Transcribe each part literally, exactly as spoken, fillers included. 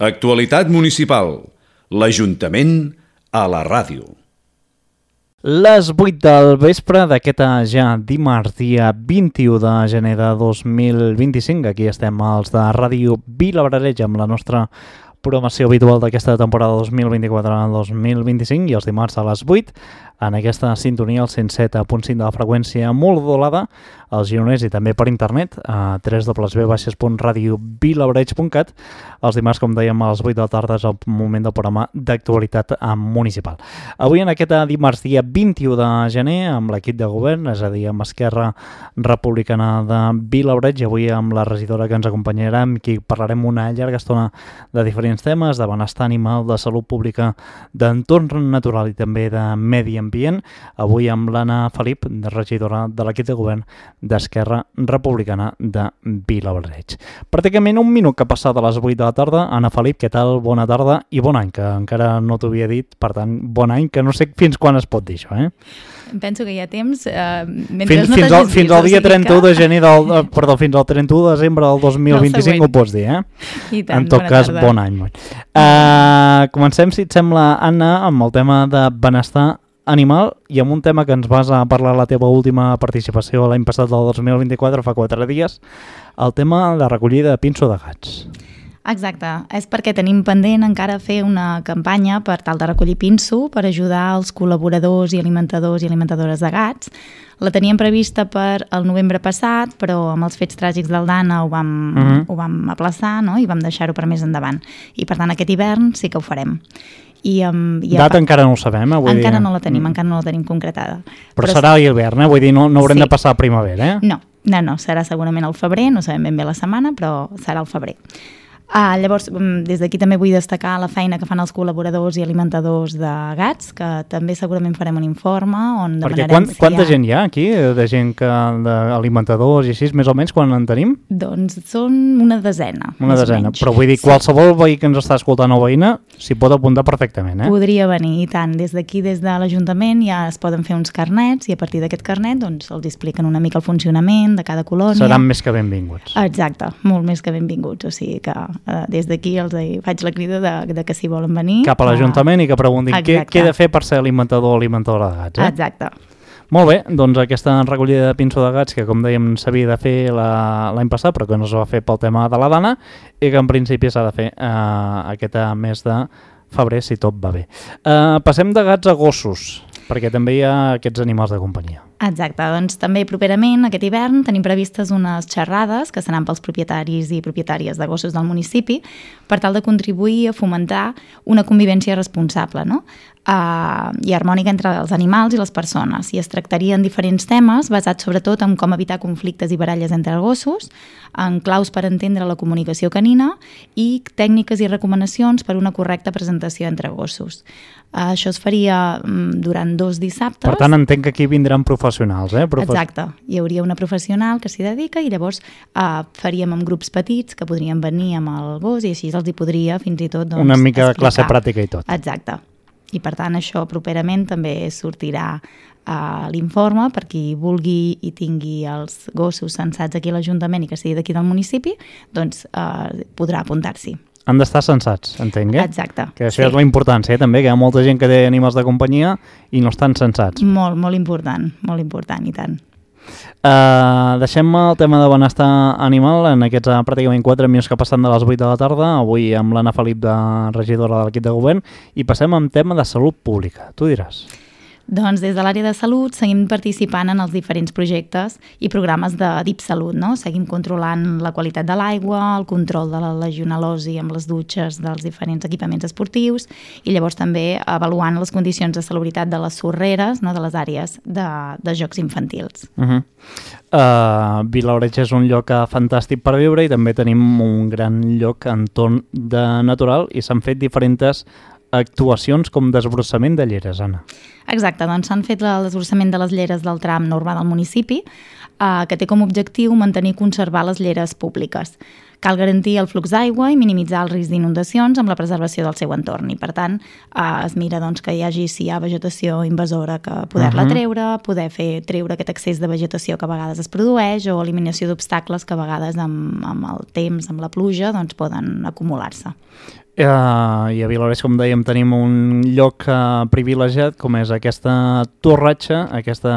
Actualitat municipal. L'Ajuntament a la ràdio. Les vuit del vespre d'aquest ja dimarts, dia vint-i-u de gener de dos mil vint-i-cinc. Aquí estem els de Ràdio Vilabrareig amb la nostra programació habitual d'aquesta temporada dos mil vint-i-quatre dos mil vint-i-cinc i els dimarts a les vuit en aquesta sintonia al cent set punt cinc de la freqüència modulada als gironers i també per internet a w w w punt radio vilabrareig punt cat. Els dimarts, com dèiem, a les vuit de la tarda és el moment del programa d'actualitat municipal. Avui en aquest dimarts dia vint-i-u de gener amb l'equip de govern, és a dir, amb Esquerra Republicana de Vilabrareig, i avui amb la regidora que ens acompanyarà, amb qui parlarem una llarga estona de diferents temes, de benestar animal, de salut pública, d'entorn natural i també de medi ambient. Avui amb l'Anna Felip, regidora de l'equip de govern d'Esquerra Republicana de Vilabrareig. Pràcticament un minut que passa de les vuit de la tarda. Anna Felip, què tal? Bona tarda i bon any, que encara no t'ho havia dit, per tant, bon any, que no sé fins quan es pot dir això, eh? Penso que hi ha temps. Eh, fins, no fins, al, fins al dia trenta-u de gener del, eh, perdó, fins al trenta-u de desembre del dos mil vint-i-cinc ho pots dir, eh? I tant, en tot cas, tarda. Bon any. Uh, comencem, si et sembla, Anna, amb el tema de benestar animal i amb un tema que ens vas a parlar a la teva última participació l'any passat del dos mil vint-i-quatre, fa quatre dies, el tema de recollida de pinso de gats. Exacte, és perquè tenim pendent encara fer una campanya per tal de recollir pinso per ajudar els col·laboradors i alimentadors i alimentadores de gats. La teníem prevista per el novembre passat, però amb els fets tràgics del Dana ho vam, uh-huh. ho vam aplaçar, no? I vam deixar-ho per més endavant. I per tant aquest hivern sí que ho farem. I, um, i Data encara no ho sabem, eh? Vull encara dir... no la tenim, encara no la tenim concretada. Però, però serà a l'hivern, eh? Vull dir, no, no haurem sí. de passar a primavera, eh? No, no, no, serà segurament al febrer, no sabem ben bé la setmana, però serà al febrer. Ah, llavors, des d'aquí també vull destacar la feina que fan els col·laboradors i alimentadors de gats, que també segurament farem un informe on Perquè demanarem... Quan, si quanta ha... gent hi ha aquí, de gent que d'alimentadors i així, més o menys, quan en tenim? Doncs són una desena. Una desena, però vull dir, qualsevol veí que ens està escoltant o veïna s'hi pot apuntar perfectament, eh? Podria venir, i tant. Des d'aquí, des de l'Ajuntament, ja es poden fer uns carnets i a partir d'aquest carnet doncs, els expliquen una mica el funcionament de cada colònia. Seran més que benvinguts. Exacte, molt més que benvinguts. O sigui que eh, des d'aquí els faig la crida de, de que si volen venir... Cap a l'Ajuntament uh, i que preguntin què, què he de fer per ser alimentador o alimentadora de gats, eh? Exacte. Molt bé, doncs aquesta recollida de pinso de gats que, com dèiem, s'havia de fer l'any passat, però que no es va fer pel tema de la Dana i que en principi s'ha de fer eh, aquest mes de febrer, si tot va bé. Eh, passem de gats a gossos, perquè també hi ha aquests animals de companyia. Exacte, doncs també properament aquest hivern tenim previstes unes xerrades que seran pels propietaris i propietàries de gossos del municipi per tal de contribuir a fomentar una convivència responsable, no? Uh, i harmònica entre els animals i les persones, i es tractarien diferents temes basats sobretot en com evitar conflictes i baralles entre gossos, en claus per entendre la comunicació canina i tècniques i recomanacions per una correcta presentació entre gossos. Uh, això es faria um, durant dos dissabtes. Per tant, entenc que aquí vindran professionals, eh? Profe... Exacte, hi hauria una professional que s'hi dedica i llavors uh, faríem amb grups petits que podrien venir amb el gos i així els hi podria fins i tot doncs, una mica de explicar. classe pràctica i tot. Exacte. I per tant això properament també sortirà a l'informe per qui vulgui i tingui els gossos censats aquí a l'Ajuntament i que sigui d'aquí del municipi, doncs eh, podrà apuntar-s'hi. Han d'estar censats, entenc, eh? Exacte. Que això sí. és la importància, eh? També, que hi ha molta gent que té animals de companyia i no estan censats. Molt, molt important, molt important, i tant. Uh, deixem el tema de benestar animal en aquests uh, pràcticament quatre minuts que passen de les vuit de la tarda, avui amb l'Anna Felip, de regidora de l'equip de govern, i passem amb tema de salut pública. Tu diràs. Doncs des de l'àrea de salut seguim participant en els diferents projectes i programes de D I P Salut, no? Seguim controlant la qualitat de l'aigua, el control de la legionel·losi amb les dutxes dels diferents equipaments esportius i llavors també avaluant les condicions de salubritat de les sorreres, no? De les àrees de, de jocs infantils. Uh-huh. uh, Vilabrareig és un lloc fantàstic per viure i també tenim un gran lloc entorn de natural i s'han fet diferents actuacions com desbrossament de lleres, Anna. Exacte, doncs s'han fet el desbrossament de les lleres del tram urbà del municipi, eh, que té com a objectiu mantenir i conservar les lleres públiques, Cal garantir el flux d'aigua i minimitzar el risc d'inundacions amb la preservació del seu entorn i, per tant, eh, es mira doncs, que hi hagi, si hi ha vegetació invasora, que poder-la Uh-huh. treure, poder fer treure aquest excés de vegetació que a vegades es produeix o eliminació d'obstacles que a vegades amb, amb el temps, amb la pluja, doncs poden acumular-se. Uh, I a Vilablareix, com dèiem, tenim un lloc uh, privilegiat, com és aquesta torratxa, aquest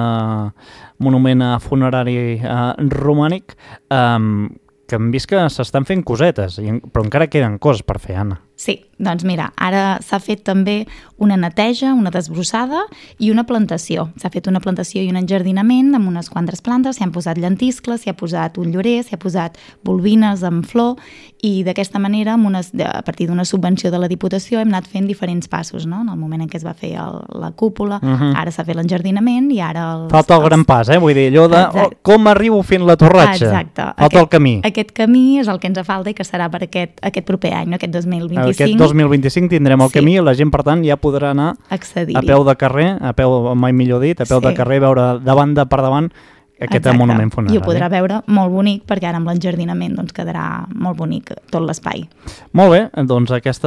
monument uh, funerari uh, romànic, um, que hem vist que s'estan fent cosetes, i, però encara queden coses per fer, Anna. Sí, doncs mira, ara s'ha fet també una neteja, una desbrossada i una plantació. S'ha fet una plantació i un enjardinament amb unes quantes plantes, s'hi han posat llentiscles, s'hi ha posat un llorer, s'hi ha posat bulbines amb flor i d'aquesta manera, amb unes, a partir d'una subvenció de la Diputació, hem anat fent diferents passos, no? En el moment en què es va fer el, la cúpula, uh-huh. Ara s'ha fet l'enjardinament i ara... Els, Falta el els... gran pas, eh? Vull dir, allò de oh, com arribo fent la torratxa. Exacte. Falta aquest, el camí. Aquest camí és el que ens falta i que serà per aquest, aquest proper any, no? Aquest dos mil vint-i-cinc. Aquest dos mil vint-i-cinc tindrem el Sí. camí i la gent, per tant, ja podrà anar Accedir-hi. a peu de carrer, a peu, mai millor dit, a peu Sí. de carrer, veure de banda per davant aquest Exacte. monument funerari. I ho podrà veure molt bonic perquè ara amb l'enjardinament doncs, quedarà molt bonic tot l'espai. Molt bé, doncs aquest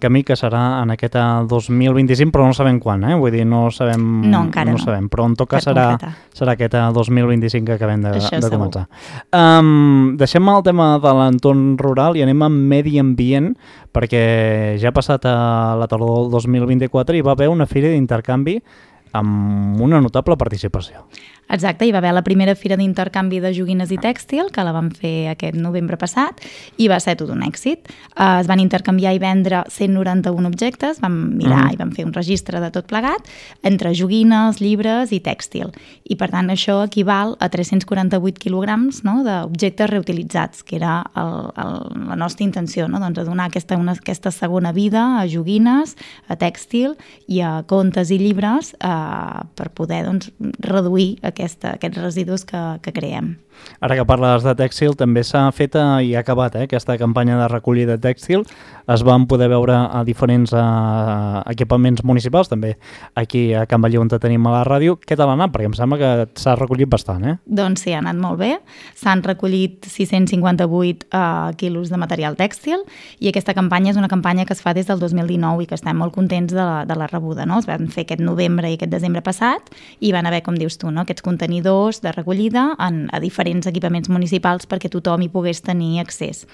camí que serà en aquest dos mil vint-i-cinc, però no sabem quan, eh? Vull dir, no sabem... No, encara no. No sabem, però en tot cas Per serà, concretar. serà aquest dos mil vint-i-cinc que acabem de, Això de segur. començar. Um, deixem el tema de l'entorn rural i anem a medi ambient, perquè ja ha passat a la tardor del dos mil vint-i-quatre i va haver una fira d'intercanvi amb una notable participació. Exacte, hi va haver la primera fira d'intercanvi de joguines i tèxtil, que la vam fer aquest novembre passat, i va ser tot un èxit. Uh, es van intercanviar i vendre cent noranta-un objectes, vam mirar mm. i vam fer un registre de tot plegat, entre joguines, llibres i tèxtil. I per tant això equival a tres-cents quaranta-vuit quilograms, no?, d'objectes reutilitzats, que era el, el, la nostra intenció, no?, doncs a donar aquesta, una, aquesta segona vida a joguines, a tèxtil i a contes i llibres uh, per poder doncs, reduir Aquesta, aquests residus que, que creem. Ara que parles de tèxtil, també s'ha fet i ha acabat eh, aquesta campanya de recollida tèxtil. Es van poder veure a diferents uh, equipaments municipals, també aquí a Can Batlló on tenim a la ràdio. Què tal ha anat? Perquè em sembla que s'ha recollit bastant, eh? Doncs sí, ha anat molt bé. S'han recollit sis-cents cinquanta-vuit uh, quilos de material tèxtil i aquesta campanya és una campanya que es fa des del dos mil dinou i que estem molt contents de la, de la rebuda, no? Es van fer aquest novembre i aquest desembre passat i van haver, com dius tu, no?, aquests contenidors de recollida en, a diferents equipaments municipals perquè tothom hi pogués tenir accés.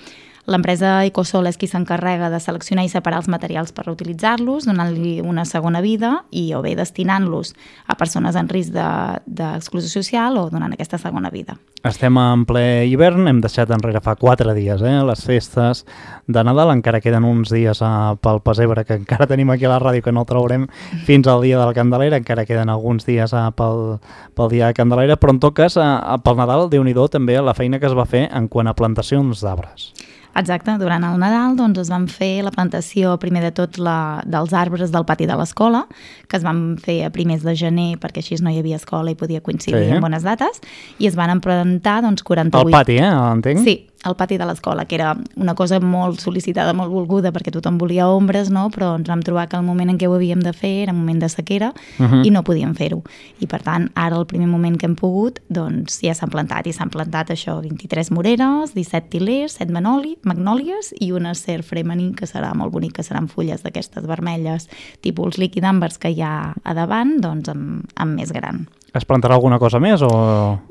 L'empresa Ecosol és qui s'encarrega de seleccionar i separar els materials per reutilitzar-los, donant-li una segona vida i o bé destinant-los a persones en risc d'exclusió de, social o donant aquesta segona vida. Estem en ple hivern, hem deixat enrere fa quatre dies eh, les festes de Nadal, encara queden uns dies uh, pel pessebre que encara tenim aquí a la ràdio que no el traurem fins al dia de la Candelera, encara queden alguns dies uh, pel, pel dia de Candelera, però en tot cas uh, pel Nadal, Déu-n'hi-do també la feina que es va fer en quant a plantacions d'arbres. Exacte, durant el Nadal doncs, es van fer la plantació, primer de tot, la, dels arbres del pati de l'escola, que es van fer a primers de gener perquè així no hi havia escola i podia coincidir sí. en bones dates, i es van plantar doncs, quaranta-vuit... Al pati, eh? Entenc? Sí, al pati de l'escola, que era una cosa molt sol·licitada, molt volguda, perquè tothom volia ombres, no? Però ens vam trobar que el moment en què ho havíem de fer era un moment de sequera uh-huh. i no podíem fer-ho. I per tant, ara el primer moment que hem pogut, doncs ja s'han plantat, i s'han plantat això, vint-i-tres moreres, disset tilers, set manoli, magnòlies i una ser femení, que serà molt bonic, que seran fulles d'aquestes vermelles, tipus líquid àmbers que hi ha a davant, doncs amb, amb més gran. Es plantarà alguna cosa més o...?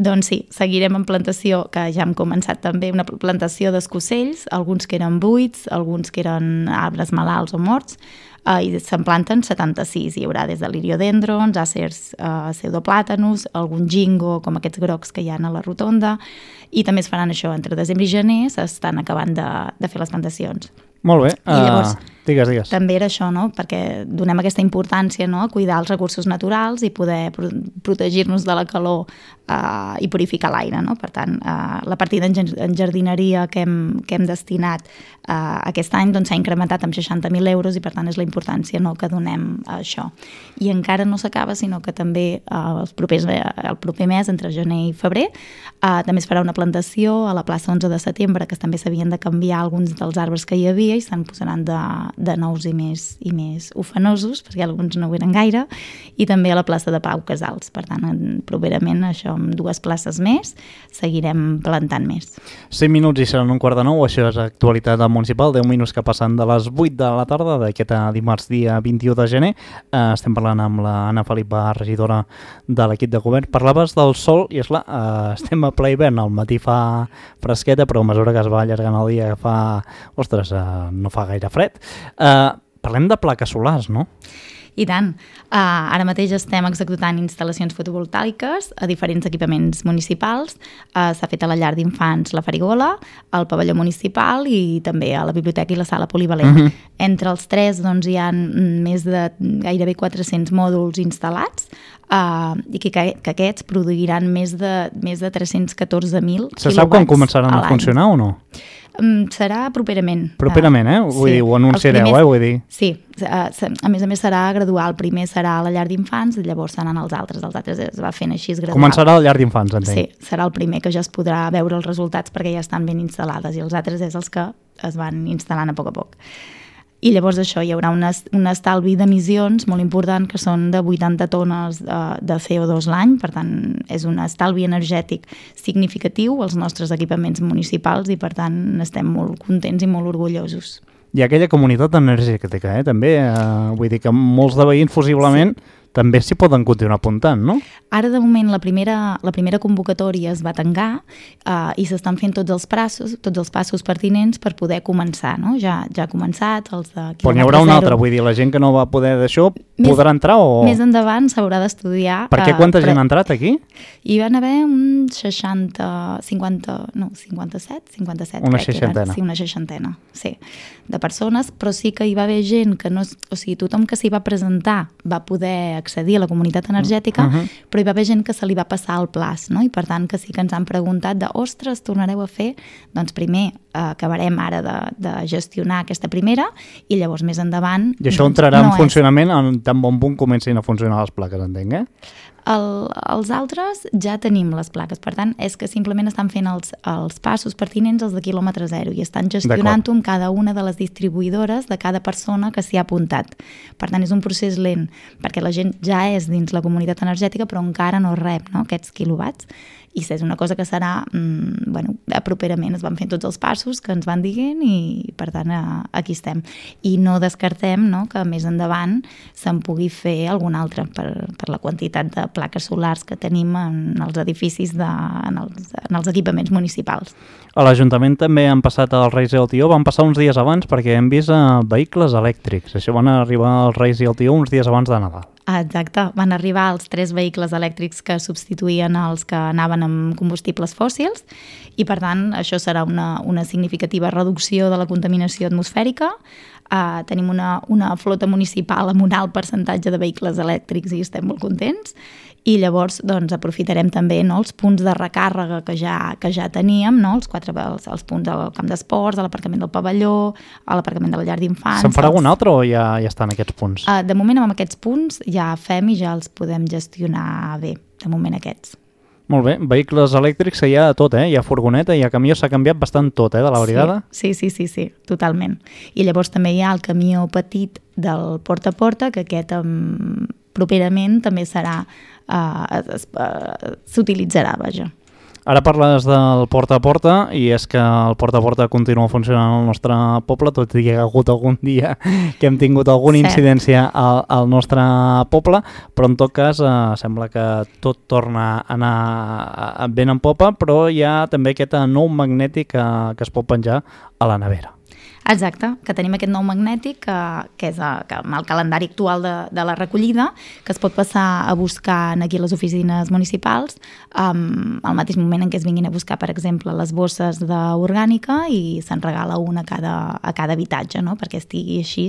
Doncs sí, seguirem en plantació, que ja hem començat també, una plantació d'escocells, alguns que eren buits, alguns que eren arbres malalts o morts, eh, i se'n planten setanta-sis. Hi haurà des de liriodendrons, àcers eh, pseudoplàtanos, algun gingo, com aquests grocs que hi ha a la rotonda, i també es faran això, entre desembre i gener s'estan acabant de, de fer les plantacions. Molt bé. I llavors, uh, digues, digues. també era això, no?, perquè donem aquesta importància, no?, a cuidar els recursos naturals i poder pro protegir-nos de la calor uh, i purificar l'aire, no? Per tant, uh, la partida en jardineria que hem, que hem destinat uh, aquest any doncs, s'ha incrementat amb seixanta mil euros i per tant és la importància, no?, que donem a això. I encara no s'acaba, sinó que també uh, els propers, el proper mes, entre gener i febrer, uh, també es farà una plantació a la plaça onze de setembre, que també s'havien de canviar alguns dels arbres que hi havia i se'n posaran de, de nous i més, i més ufanosos, perquè alguns no ho eren gaire, i també a la plaça de Pau Casals. Per tant, properament, això amb dues places més, seguirem plantant més. cinc minuts i seran un quart de nou, això és actualitat municipal, deu minuts que passen de les vuit de la tarda d'aquest dimarts dia vint-i-u de gener. Eh, estem parlant amb la Anna Felipa, regidora de l'equip de govern. Parlaves del sol i, esclar, eh, estem a ple hivern, al matí fa fresqueta, però a mesura que es va allargant el dia fa, ostres, eh, no fa gaire fred. Eh, parlem de plaques solars, no? I tant. Uh, ara mateix estem executant instal·lacions fotovoltaiques a diferents equipaments municipals. Uh, S'ha fet a la llar d'infants la Farigola, al pavelló municipal i també a la biblioteca i la sala polivalent. Uh-huh. Entre els tres doncs, hi ha més de gairebé quatre-cents mòduls instal·lats uh, i que, que aquests produiran més de, més de tres-cents catorze mil quilowatts. Se sap quan començaran a funcionar o no? Um, serà properament. Properament, eh? Vull sí. dir, ho anunciareu, primers, eh? Vull dir. Sí, a més a més serà gradual. El primer serà a la llar d'infants i llavors seran els altres. Els altres es va fent així gradual. Començarà a la llar d'infants, entenc. Sí, serà el primer que ja es podrà veure els resultats perquè ja estan ben instal·lades i els altres és els que es van instal·lant a poc a poc. I llavors això, hi haurà una, un estalvi d'emissions molt important que són de vuitanta tones de, de C O dos l'any, per tant és un estalvi energètic significatiu als nostres equipaments municipals i per tant estem molt contents i molt orgullosos. I aquella comunitat energètica, eh, també, eh, vull dir que molts de veïns possiblement sí. també s'hi poden continuar apuntant, no? Ara, de moment, la primera, la primera convocatòria es va tancar uh, i s'estan fent tots els passos, tots els passos pertinents per poder començar, no? Ja, ja ha començat, els de quilòmetre Però n'hi haurà una altra, vull dir, la gent que no va poder d'això podrà entrar o... Més endavant s'haurà d'estudiar... Per què quanta uh, gent ha entrat aquí? Hi van haver uns seixanta, cinquanta, no, cinquanta-set, cinquanta-set, una crec seixantena. Que eren, sí, una seixantena, sí, de persones, però sí que hi va haver gent que no... O sigui, tothom que s'hi va presentar va poder accedir a la comunitat energètica, uh -huh. però hi va haver gent que se li va passar el plaç, no? I per tant que sí que ens han preguntat de, ostres, tornareu a fer? Doncs primer eh, acabarem ara de, de gestionar aquesta primera i llavors més endavant... I això doncs, entrarà no en funcionament en tan bon punt comencin a funcionar les plaques, entenc, eh? El, els altres ja tenim les plaques, per tant és que simplement estan fent els, els passos pertinents als de quilòmetre zero i estan gestionant-ho amb cada una de les distribuïdores de cada persona que s'hi ha apuntat. Per tant és un procés lent perquè la gent ja és dins la comunitat energètica però encara no rep, no, aquests quilowatts i és una cosa que serà mmm, bueno, properament es van fent tots els passos que ens van dient i per tant aquí estem i no descartem, no, que més endavant se'n pugui fer algun altre per, per la quantitat de plaques solars que tenim en els edificis, de, en, els, en els equipaments municipals. A l'Ajuntament també han passat els Reis i el Tió, van passar uns dies abans perquè hem vist uh, vehicles elèctrics, això van arribar els Reis i el Tió uns dies abans de Nadal. Exacte, van arribar els tres vehicles elèctrics que substituïen els que anaven amb combustibles fòssils i per tant això serà una, una significativa reducció de la contaminació atmosfèrica. Uh, tenim una, una flota municipal amb un alt percentatge de vehicles elèctrics i estem molt contents i llavors doncs, aprofitarem també, no, els punts de recàrrega que ja, que ja teníem, no, els, quatre, els, els punts al camp d'esports, a l'aparcament del pavelló, a l'aparcament de la llar d'infants. Se'n farà els... algun altre o ja, ja estan aquests punts? Uh, de moment amb aquests punts ja fem i ja els podem gestionar bé, de moment aquests. Molt bé, vehicles elèctrics hi ha tot, eh? Hi ha furgoneta, hi ha camió, s'ha canviat bastant tot, eh, de la brigada. Sí, sí, sí, sí, totalment. I llavors també hi ha el camió petit del porta a porta, que aquest um, properament també serà, uh, uh, s'utilitzarà, vaja. Ara parles del porta a porta i és que el porta a porta continua funcionant al nostre poble, tot i que hi ha hagut algun dia que hem tingut alguna Cert. incidència al, al nostre poble, però en tot cas eh, sembla que tot torna a anar ben en popa, però hi ha també aquest nou magnètic que, que es pot penjar a la nevera. Exacte, que tenim aquest nou magnètic que, que és a, que amb el calendari actual de, de la recollida, que es pot passar a buscar aquí a les oficines municipals um, al mateix moment en què es vinguin a buscar, per exemple, les bosses d'orgànica i se'n regala una a cada, a cada habitatge, no?, perquè estigui així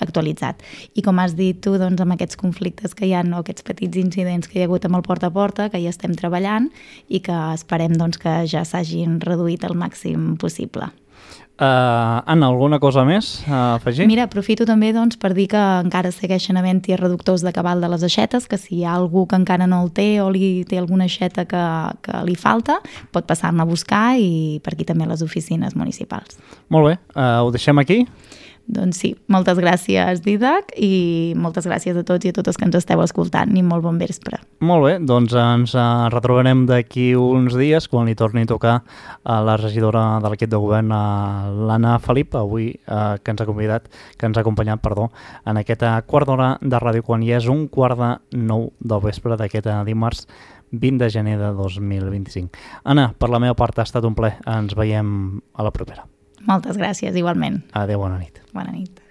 actualitzat. I com has dit tu, doncs, amb aquests conflictes que hi ha, no?, aquests petits incidents que hi ha hagut amb el porta a porta, que ja estem treballant i que esperem doncs, que ja s'hagin reduït al màxim possible. Uh, Anna, alguna cosa més a afegir? Mira, aprofito també doncs, per dir que encara segueixen havent-hi reductors de cabal de les aixetes, que si hi ha algú que encara no el té o li té alguna aixeta que, que li falta, pot passar-ne a buscar i per aquí també a les oficines municipals. Molt bé, uh, ho deixem aquí? Doncs sí, moltes gràcies, Didac, i moltes gràcies a tots i a totes que ens esteu escoltant, i molt bon vespre. Molt bé, doncs ens retrobarem d'aquí uns dies quan li torni a tocar a la regidora de l'equip de govern, l'Anna Felip, avui eh, que ens ha convidat, que ens ha acompanyat, perdó, en aquesta quart d'hora de ràdio, quan ja és un quart de nou del vespre d'aquest dimarts vint de gener de dos mil vint-i-cinc. Anna, per la meva part ha estat un plaer. Ens veiem a la propera. Moltes gràcies, igualment. Adéu, bona nit. Bona nit.